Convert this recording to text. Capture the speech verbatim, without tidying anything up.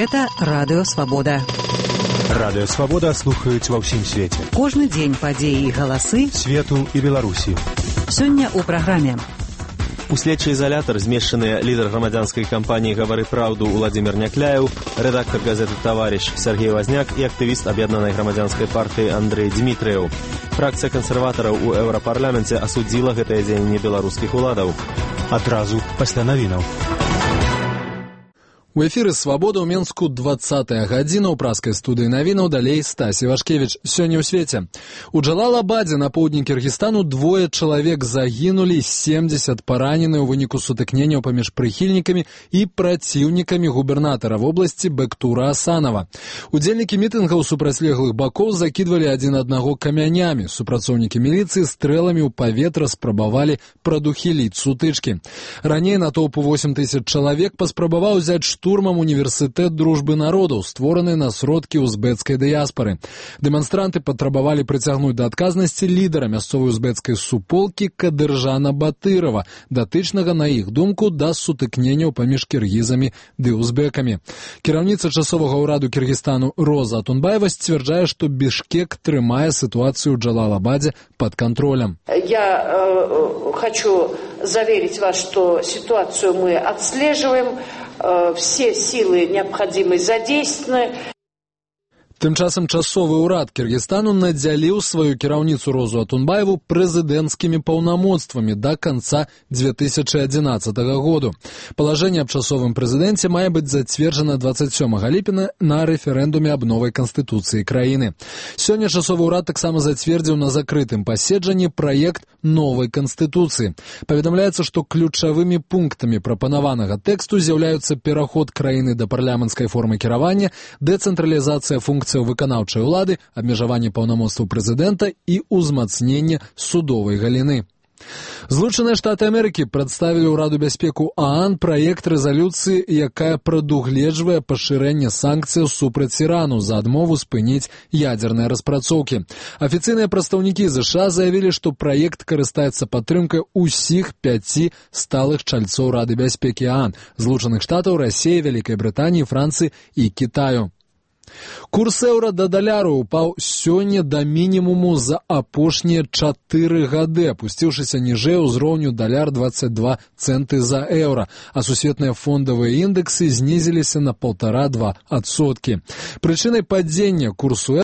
Гэта Радыё Свабода. Радыё Свабода слухаюць ва ўсім свеце. Кожны дзень падзеі і галасы свету і Беларусі. Сёння ў праграме. У следчы изолятор змешчаныя лідар грамадзянскай кампаніі «Гавары праўду» Уладзімір Някляеў, рэдактар газеты «Таварыш» Сергей Вазняк і актывіст аб'яднанай грамадзянскай партыі Андрэй Дзмітрыеў. Фракцыя кансерватараў у еўрапарламенце асудзіла гэтае дзеянне беларускіх уладаў. Адразу пасля навінаў. У эфіры «Свабода» ў Менску двадцатая гадзіна, ў праскай студыі навінаў далей Стасі Вашкевіч. Сёння ў свеце. У Джалалабадзе на поўдні Кіргізстану двое чалавек загінулі, семдзесят паранены ў выніку сутыкненняў паміж прыхільнікамі і праціўнікамі губернатара вобласці Бектура Асанова. Удзельнікі мітынгаў супрацьлеглых бакоў закідвалі адзін аднаго камянямі. Супрацоўнікі міліцыі стрэламі ў паветра спрабавалі прадухіліць сутычкі. Раней натоўпу восем тысяч чалавек паспрабаваў узяць штурмам універсітэт дружбы народаў, створаны на сродкі узбецкай дыяспары. Дэманстранты патрабавалі прыцягнуць да адказнасці лідара мясцовай узбецкай суполкі Кадыржана Батырова, датычнага, на іх думку, да сутыкненняў паміж кіргізамі ды узбекамі. Кіраўніца часовага ўраду Кіргізстану Роза Атунбаева сцвярджае, што Бішкек трымае сітуацыю ў Джалалабадзе пад контролем. Я э, хочу заверить вас, что ситуацию мы отслеживаем, э, все силы необходимые задействованы. Тым часам часовы ўрад Кіргізстану надзяліў сваю кіраўніцу Розу Атунбаеву прэзідэнцкімі паўнамоцтвамі да канца две тысячы адзінаццатага году. Палажэнне аб часовым прэзідэнце мае быць зацверджана двадцать сёмага ліпеня на рэферэндуме аб новай канстытуцыі краіны. Сёння часовы ўрад таксама зацвердзіў на закрытым паседжанні праект новай канстытуцыі. Паведамляецца, што ключавымі пунктамі прапанаванага тэксту з'яўляюцца пераход краіны да парламенцкай формы кіравання, дэцэнтралізацыя функцый выканаўчай улады, абмежаванне паўнамоцтваў прэзідэнта і ўзмацненне судовай галіны. Злучаныя Штаты Амерыкі прадставілі ўраду бяспеку ААН праект рэзалюцыі, якая прадугледжвае пашырэнне санкцыяў супраць Ірану за адмову спыніць ядзерныя распрацоўкі. Афіцыйныя прадстаўнікі ЗША заявілі, што праект карыстаецца падтрымкай усіх пяці сталых чальцоў Рады бяспекі ААН – Злучаных Штатаў, Расіі, Вялікай Брытаніі, Францыі і Кітаю. Курс еўра да даляру упаў сёння да мінімуму за апошнія чатыры гады, апусціўшыся ніжэй узроўню даляр двадцать два цэнты за еўра, а сусветныя фондавыя індэксы знізіліся на полтора-два адсоткі. Прычынай падзення курсу